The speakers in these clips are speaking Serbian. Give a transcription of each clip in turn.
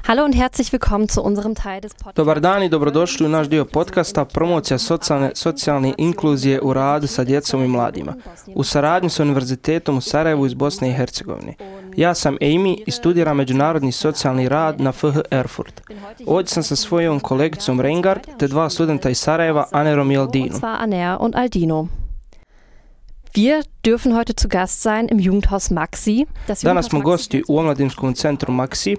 Hallo und herzlich willkommen zu unserem Teil des Podcasts. Dobar dan i dobrodošli u naš dio podcasta Promocija socijalne inkluzije u radu sa djecom i mladima u saradnji sa Univerzitetom u Sarajevu iz Bosne i Hercegovine. Ja sam Amy i studiram međunarodni socijalni rad na FH Erfurt. Ovdje sam sa svojom kolegicom Reingard te dva studenta iz Sarajeva, Anerom i Aldino. Und zwar Aner und Aldino. Wir dürfen heute zu Gast sein im Jugendhaus Maxi. Danas smo gosti u omladinskom centru Maxi.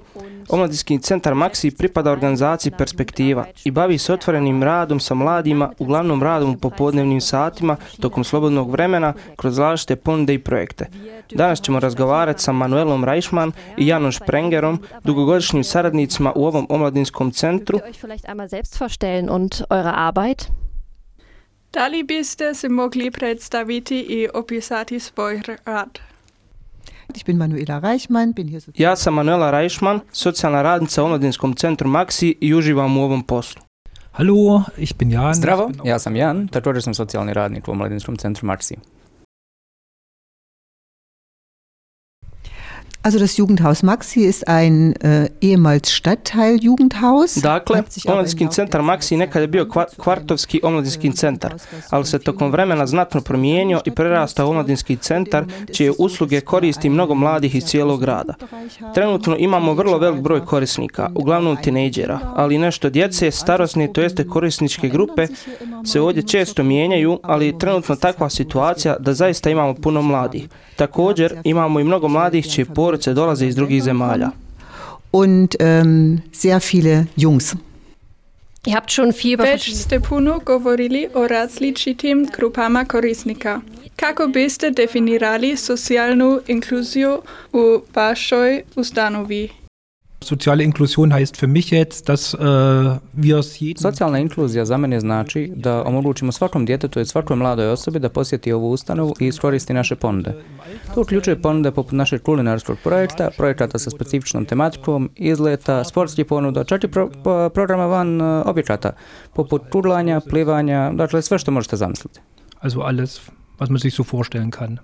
Omladinski centar Maxi pripada organizaciji Perspektiva i bavi se otvorenim radom sa mladima, uglavnom radom u popodnevnim satima, tokom slobodnog vremena, kroz različite ponude i projekte. Danas ćemo razgovarati sa Manuelom Reichmann i Janom Sprengerom, dugogodišnjim saradnicima u ovom omladinskom centru. Da li biste se mogli predstaviti i opisati svoj rad? Ich bin Manuela Reichmann, bin hier Ja sam Manuela Reichmann, socijalna radnica u omladinskom centru Maxi i uživam u ovom poslu. Hallo, ich bin Jan. Zdravo, ja sam Jan, također sam socijalni radnik u omladinskom centru Maxi. Also das Jugendhaus Maxi ist ein ehemals Stadtteil-Jugendhaus. Dakle, omladinski centar Maxi nekad je bio kvartovski omladinski centar, ali se tokom vremena znatno promijenio i prerastao u omladinski centar, čije usluge koristi mnogo mladih iz cijelog grada. Trenutno imamo vrlo velik broj korisnika, uglavnom tinejdžera, ali nešto djece, starosne, to jeste korisničke grupe, se ovdje često mijenjaju, ali trenutno takva situacija da zaista imamo puno mladih. Također, imamo i mnogo mladih čije porodice dolaze iz drugih zemalja. Und sehr viele Jungs. Ihr habt schon viel Već ste puno govorili o različitim grupama korisnika. Kako biste definirali socijalnu inkluziju u vašoj ustanovi? Soziale Inklusion heißt für mich jetzt, dass wir es jedem... Socijalna inkluzija za mene znači da omogućimo svakom djetetu i svakoj mladoj osobi da posjeti ovu ustanovu i iskoristi naše ponude. To uključuje ponude poput našeg kulinarskog projekta, projekata sa specifičnom tematikom, izleta, sportskih ponuda, čak i programa van objekata, poput pudlanja, plivanja, dakle sve što možete zamisliti. Also alles, was man sich so vorstellen kann.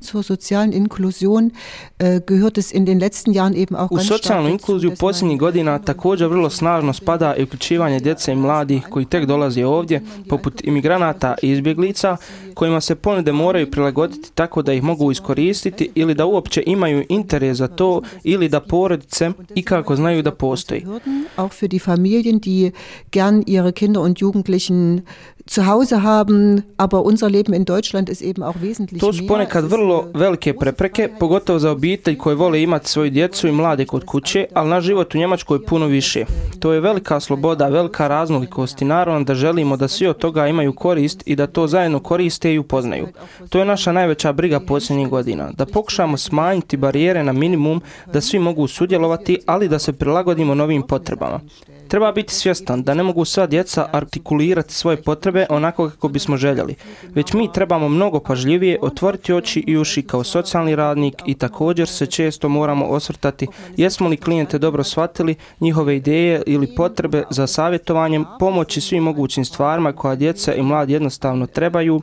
Zur sozialen Inklusion gehört es in den letzten Jahren eben auch ganz stark. U socijalnu inkluziju posljednjih godina također vrlo snažno spada i uključivanje djece i mladih koji tek dolaze ovdje, poput imigranata i izbjeglica, kojima se ponude moraju prilagoditi tako da ih mogu iskoristiti ili da uopće imaju interes za to ili da porodice ikako znaju da postoji. Auch für die Familien, die gern ihre Kinder und Jugendlichen zu Hause haben, aber unser Leben in Deutschland ist eben auch wesentlich mehr. To su ponekad vrlo velike prepreke, pogotovo za obitelj koje vole imati svoju djecu i mlade kod kuće, ali naš život u Njemačkoj je puno više. To je velika sloboda, velika raznolikost i naravno da želimo da svi od toga imaju korist i da to zajedno koriste i upoznaju. To je naša najveća briga posljednjih godina, da pokušamo smanjiti barijere na minimum, da svi mogu sudjelovati, ali da se prilagodimo novim potrebama. Treba biti svjestan da ne mogu sva djeca artikulirati svoje potrebe onako kako bismo željeli, već mi trebamo mnogo pažljivije otvoriti oči i uši kao socijalni radnik i također se često moramo osvrtati jesmo li klijente dobro shvatili, njihove ideje ili potrebe za savjetovanjem, pomoći svim mogućim stvarima koja djeca i mladi jednostavno trebaju.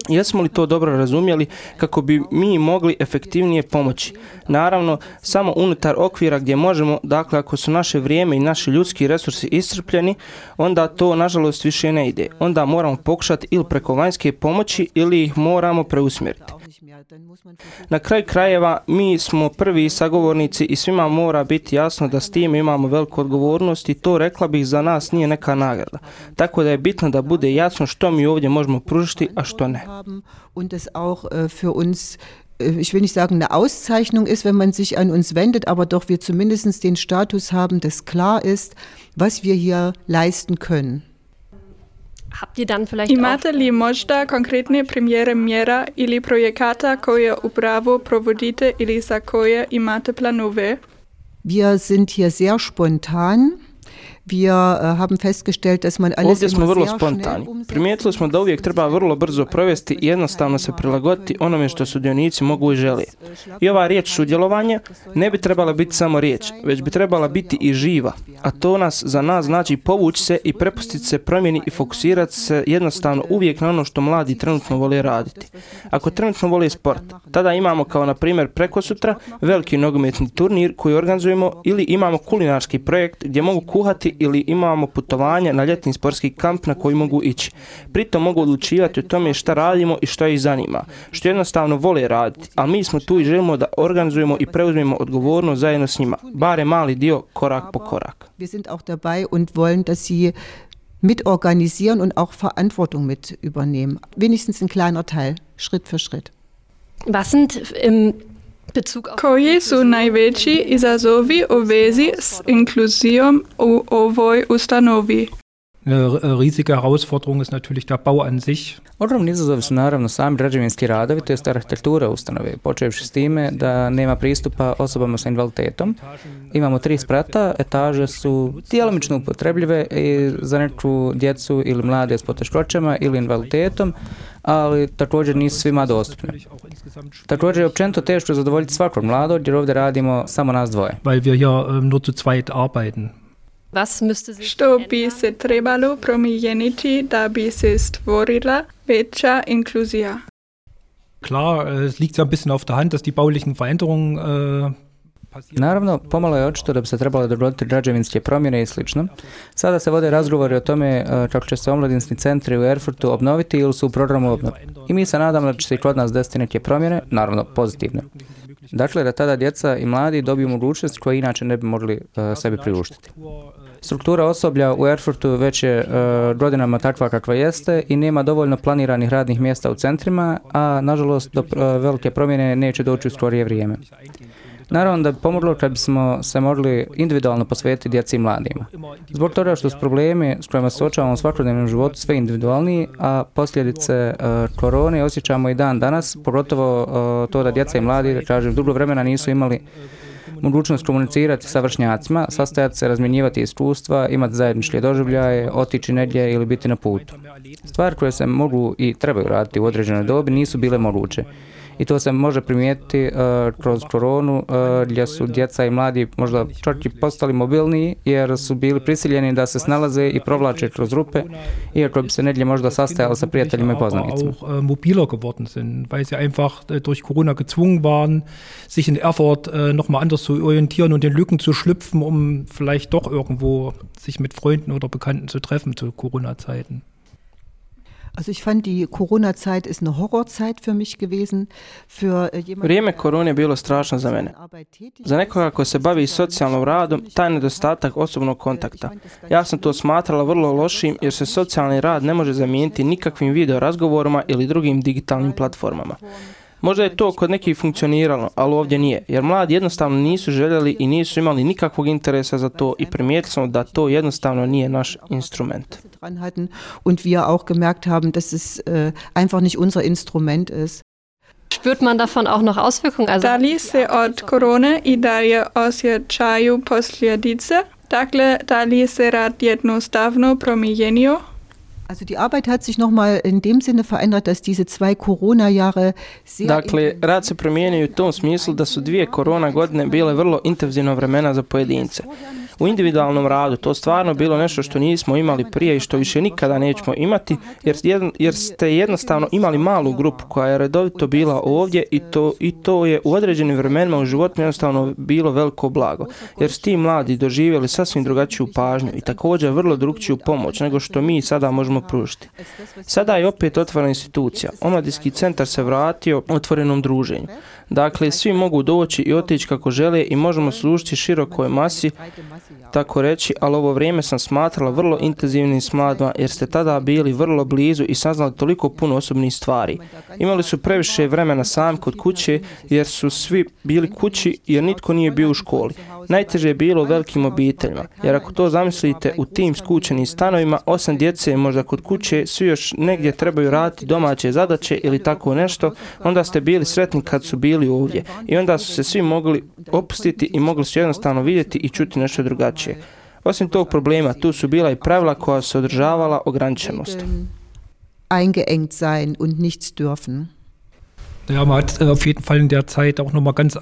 Jesmo li to dobro razumjeli kako bi mi mogli efektivnije pomoći? Naravno, samo unutar okvira gdje možemo, dakle ako su naše vrijeme i naši ljudski resursi iscrpljeni, onda to nažalost više ne ide. Onda moramo pokušati ili preko vanjske pomoći ili ih moramo preusmjeriti. Na kraju krajeva mi smo prvi sagovornici i svima mora biti jasno da s tim imamo veliku odgovornost i to, rekla bih, za nas nije neka nagrada. Tako da je bitno da bude jasno što mi ovdje možemo pružiti, a što ne. Und es auch für uns, ich will nicht sagen eine Auszeichnung ist, wenn man sich an uns wendet, aber doch wir zumindest den Status haben, dass klar ist, was wir hier leisten können. Imate li možda konkretne primjere mjera ili projekata koje upravo provodite ili za koje imate planove? Wir sind hier sehr spontan. Ovdje smo vrlo spontani. Primijetili smo da uvijek treba vrlo brzo provesti i jednostavno se prilagoditi onome što sudionici mogu i žele. I ova riječ sudjelovanje ne bi trebala biti samo riječ, već bi trebala biti i živa. A to za nas znači povući se i prepustiti se promjeni i fokusirati se jednostavno uvijek na ono što mladi trenutno vole raditi. Ako trenutno vole sport, tada imamo kao na primjer prekosutra veliki nogometni turnir koji organizujemo ili imamo kulinarski projekt gdje mogu kuhati ili imamo putovanje na ljetni sportski kamp na koji mogu ići. Pritom mogu odlučivati o tome šta radimo i što ih zanima, što jednostavno vole raditi, ali mi smo tu i želimo da organizujemo i preuzmemo odgovornost zajedno s njima, bare mali dio, korak po korak. Wir sind auch dabei und wollen, dass sie mitorganisieren und auch Verantwortung mit übernehmen. Wenigstens ein kleiner Teil, Schritt für Schritt. Was sind im Bezug auf... Koji su najveći izazovi u vezi s inkluzijom u ovoj ustanovi? Eine riesige Herausforderung ist natürlich der Bau an sich. Ogromni izazovi su naravno sami građevinski radovi, to jest arhitektura ustanove, počevši s time da nema pristupa osobama sa invaliditetom. Imamo 3 sprata, etaže su djelomično upotrebljive i za neku djecu ili mlade s poteškoćama ili invaliditetom, ali također nisu svima dostupne. Također je općenito teško zadovoljiti svakog mladog jer ovdje radimo samo nas dvoje. Weil wir hier nur zu zweit arbeiten. Što bi se trebalo promijeniti da bi se stvorila veća inkluzija? Klar, es liegt ja ein bisschen auf der Hand, dass die baulichen Veränderungen Naravno, pomalo je očito da bi se trebalo dogoditi građevinske promjene i slično. Sada se vode razgovori o tome kako će se omladinski centri u Erfurtu obnoviti ili su u programu obnove. I mi se nadamo da će se i kod nas desiti neke promjene, naravno pozitivne. Dakle, da tada djeca i mladi dobiju mogućnost koje inače ne bi mogli sebi priuštiti. Struktura osoblja u Erfurtu već je godinama takva kakva jeste i nema dovoljno planiranih radnih mjesta u centrima, a nažalost do velike promjene neće doći u skorije vrijeme. Naravno da bi pomoglo kad bismo se mogli individualno posvetiti djeci i mladima. Zbog toga što su problemi s kojima se suočavamo u svakodnevnom životu sve individualniji, a posljedice korone osjećamo i dan danas, pogotovo to da djeca i mladi, kažem, dugo vremena nisu imali mogućnost komunicirati sa vršnjacima, sastajati se, razmjenjivati iskustva, imati zajedničke doživljaje, otići negdje ili biti na putu. Stvari koje se mogu i trebaju raditi u određenoj dobi nisu bile moguće. I to se može primijetiti kroz koronu gdje su djeca i mladi možda čak i postali mobilniji jer su bili prisiljeni da se snalaze i provlače kroz rupe, iako bi se negdje možda sastajali sa prijateljima i poznanicima. Auch mobiler geworden sind, weil sie einfach durch Corona gezwungen waren, sich in Erfurt nochmal anders zu orientieren und in Lücken zu schlüpfen, um vielleicht doch irgendwo sich mit Freunden oder Bekannten zu treffen zu Corona-Zeiten. Also ich fand die Corona-Zeit ist eine Horrorzeit für mich gewesen. Vrijeme korone je bilo strašno za mene. Za nekoga ko se bavi socijalnom radom, taj nedostatak osobnog kontakta. Ja sam to smatrala vrlo lošim jer se socijalni rad ne može zamijeniti nikakvim video razgovorima ili drugim digitalnim platformama. Možda je to kod nekih funkcioniralo, ali ovdje nije, jer mladi jednostavno nisu željeli i nisu imali nikakvog interesa za to i primijetili smo da to jednostavno nije naš instrument. Und wir auch gemerkt haben, dass es einfach nicht unser Instrument ist. Spürt man davon auch noch Auswirkungen? Da li se od korone i dalje osjećaju posljedice? Dakle, da li se rad jednostavno promijenio? Also die Arbeit hat sich nochmal in dem Sinne verändert, dass diese 2 Corona-Jahre sehr... Dakle, rad se promijenio u tom smislu da su 2 korona godine bile vrlo intenzivno vremena za pojedince. U individualnom radu to stvarno bilo nešto što nismo imali prije i što više nikada nećemo imati, jer ste jednostavno imali malu grupu koja je redovito bila ovdje i to je u određenim vremenima u životu jednostavno bilo veliko blago, jer su ti mladi doživjeli sasvim drugačiju pažnju i također vrlo drugčiju pomoć nego što mi sada možemo pružiti. Sada je opet otvorena institucija. Omladinski centar se vratio otvorenom druženju. Dakle, svi mogu doći i otići kako žele i možemo služiti širokoj masi, tako reći, ali ovo vrijeme sam smatrala vrlo intenzivnim s mladima jer ste tada bili vrlo blizu i saznali toliko puno osobnih stvari. Imali su previše vremena sami kod kuće jer su svi bili kući jer nitko nije bio u školi. Najteže je bilo u velikim obiteljima, jer ako to zamislite u tim skučenim stanovima, 8 djece možda kod kuće, svi još negdje trebaju raditi domaće zadaće ili tako nešto, onda ste bili sretni kad su bili ovdje i onda su se svi mogli opustiti i mogli su jednostavno vidjeti i čuti nešto drugačije. Osim tog problema, tu su bila i pravila koja su održavala ograničenost. Eingeengt sein und nichts dürfen. Ja, man hat auf jeden Fall in der Zeit auch nochmal ganz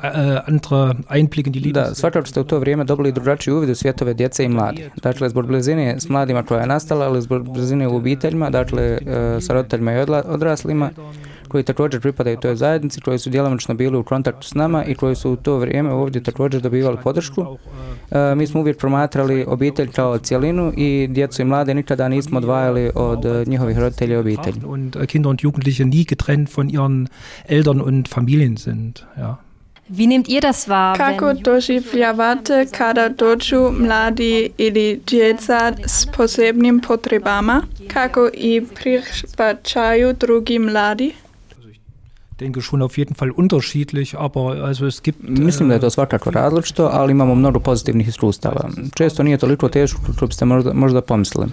andere Einblicke in die Lebens... Da, svakako ste u to vrijeme dobili drugačiji uvid u svjetove djece i mladih. Dakle, zbog blizine s mladima koja je nastala, ali zbog blizine u obiteljima, dakle, sa roditeljima i odraslima, koji također pripadaju toj zajednici, koji su djelomično bili u kontaktu s nama i koji su u to vrijeme ovdje također dobivali podršku. Mi smo uvijek promatrali obitelj kao cjelinu i djecu i mlade nikada nismo odvajali od njihovih roditelja i obitelji. Und Kinder und Jugendliche nie getrennt von ihren Eltern und Familien sind, ja. Wie nehmt ihr das wahr? Kako doživljavate kada dođu mladi ili djeca s posebnim potrebama? Kako i prihvaćaju drugi mladi? Ich denke schon auf jeden Fall unterschiedlich, aber also es gibt... Mislim da je to svakako različito, ali imamo mnogo pozitivnih iskustava. Često nije toliko teško kako biste možda pomislili.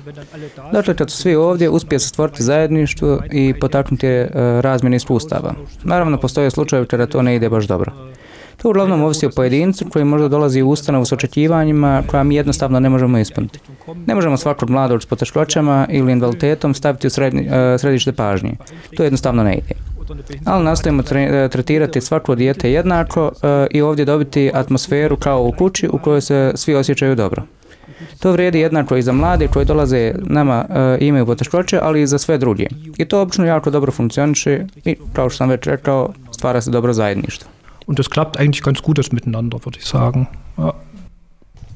Dakle, kad su svi ovdje, uspije se stvoriti zajedništvo i potaknuti razmjene iskustava. Naravno, postoje slučajevi kada to ne ide baš dobro. To uglavnom ovisi o pojedincu koji možda dolazi u ustanovu s očekivanjima koja mi jednostavno ne možemo ispuniti. Ne možemo svakog mladog s poteškoćama ili invaliditetom staviti u središte pažnje. To jednostavno ne ide. Ali nastojimo tretirati svako dijete jednako i ovdje dobiti atmosferu kao u kući u kojoj se svi osjećaju dobro. To vrijedi jednako i za mlade koji dolaze nama i imaju poteškoće, ali i za sve druge. I to obično jako dobro funkcioniše i, kao što sam već rekao, stvara se dobro zajedništvo. Und das klappt eigentlich ganz gut, das Miteinander, würde ich sagen. Ja.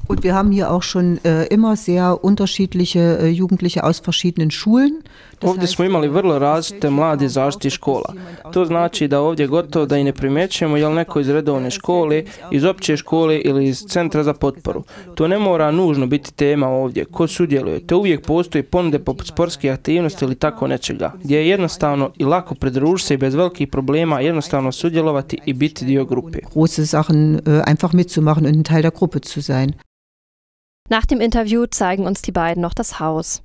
Und wir haben hier auch schon immer sehr unterschiedliche Jugendliche aus verschiedenen Schulen. Ovdje smo imali vrlo različite mlade zaštite škola. To znači da ovdje gotovo da i ne primjećujemo je li neko iz redovne škole, iz opće škole ili iz centra za potporu. To ne mora nužno biti tema ovdje. Ko sudjeluje? Te uvijek postoji ponude poput sportskih aktivnosti ili tako nečega, gdje je jednostavno i lako pridružiti se i bez velikih problema jednostavno sudjelovati i biti dio grupe. Große Sachen einfach mitzumachen und ein Teil der Gruppe zu sein. Nach dem Interview zeigen uns die beiden noch das Haus.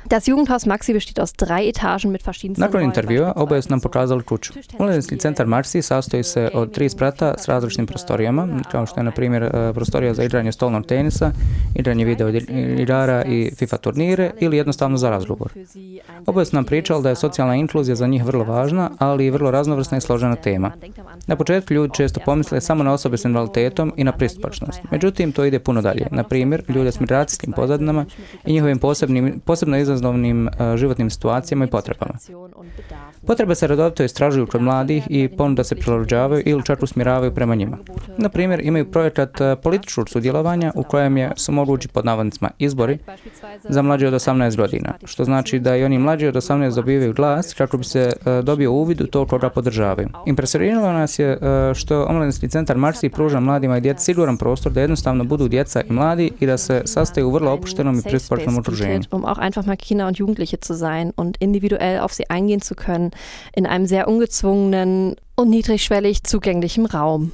Das Jugendhaus Maxi besteht aus 3 Etagen mit verschiedensten Nakon intervjua oboje su nam pokazali kuću. Omladinski centar Maxi sastoji se od 3 sprata s različitim prostorijama, kao što je na primjer prostorija za igranje stolnog tenisa, igranje video igara i FIFA turnire ili jednostavno za razgovor. Oboje su nam pričali da je socijalna inkluzija za njih vrlo važna, ali i vrlo raznovrsna i složena tema. Na početku ljudi često pomisle samo na osobe s invaliditetom i na pristupačnost. Međutim, to ide puno dalje. Na primjer, ljude s migracijskim pozadinama i njihovim posebno izazovnim životnim situacijama i potrebama. Potrebe se redovito istražuju kod mladih i ponuda se prilagođavaju ili čak usmjeravaju prema njima. Na primjer, imaju projekat političkog sudjelovanja u kojem su mogući pod navodnicima izbori za mlađe od 18 godina, što znači da i oni mlađi od 18 dobivaju glas kako bi se dobio uvid u to koga podržavaju. Impresioniralo nas je što Omladinski centar Maxi pruža mladima i djeci siguran prostor da jednostavno budu djeca i mladi i da se sastaju u vrlo opuštenom i pristupačnom okruženju. Kinder und Jugendliche zu sein und individuell auf sie eingehen zu können in einem sehr ungezwungenen und niedrigschwellig zugänglichen Raum.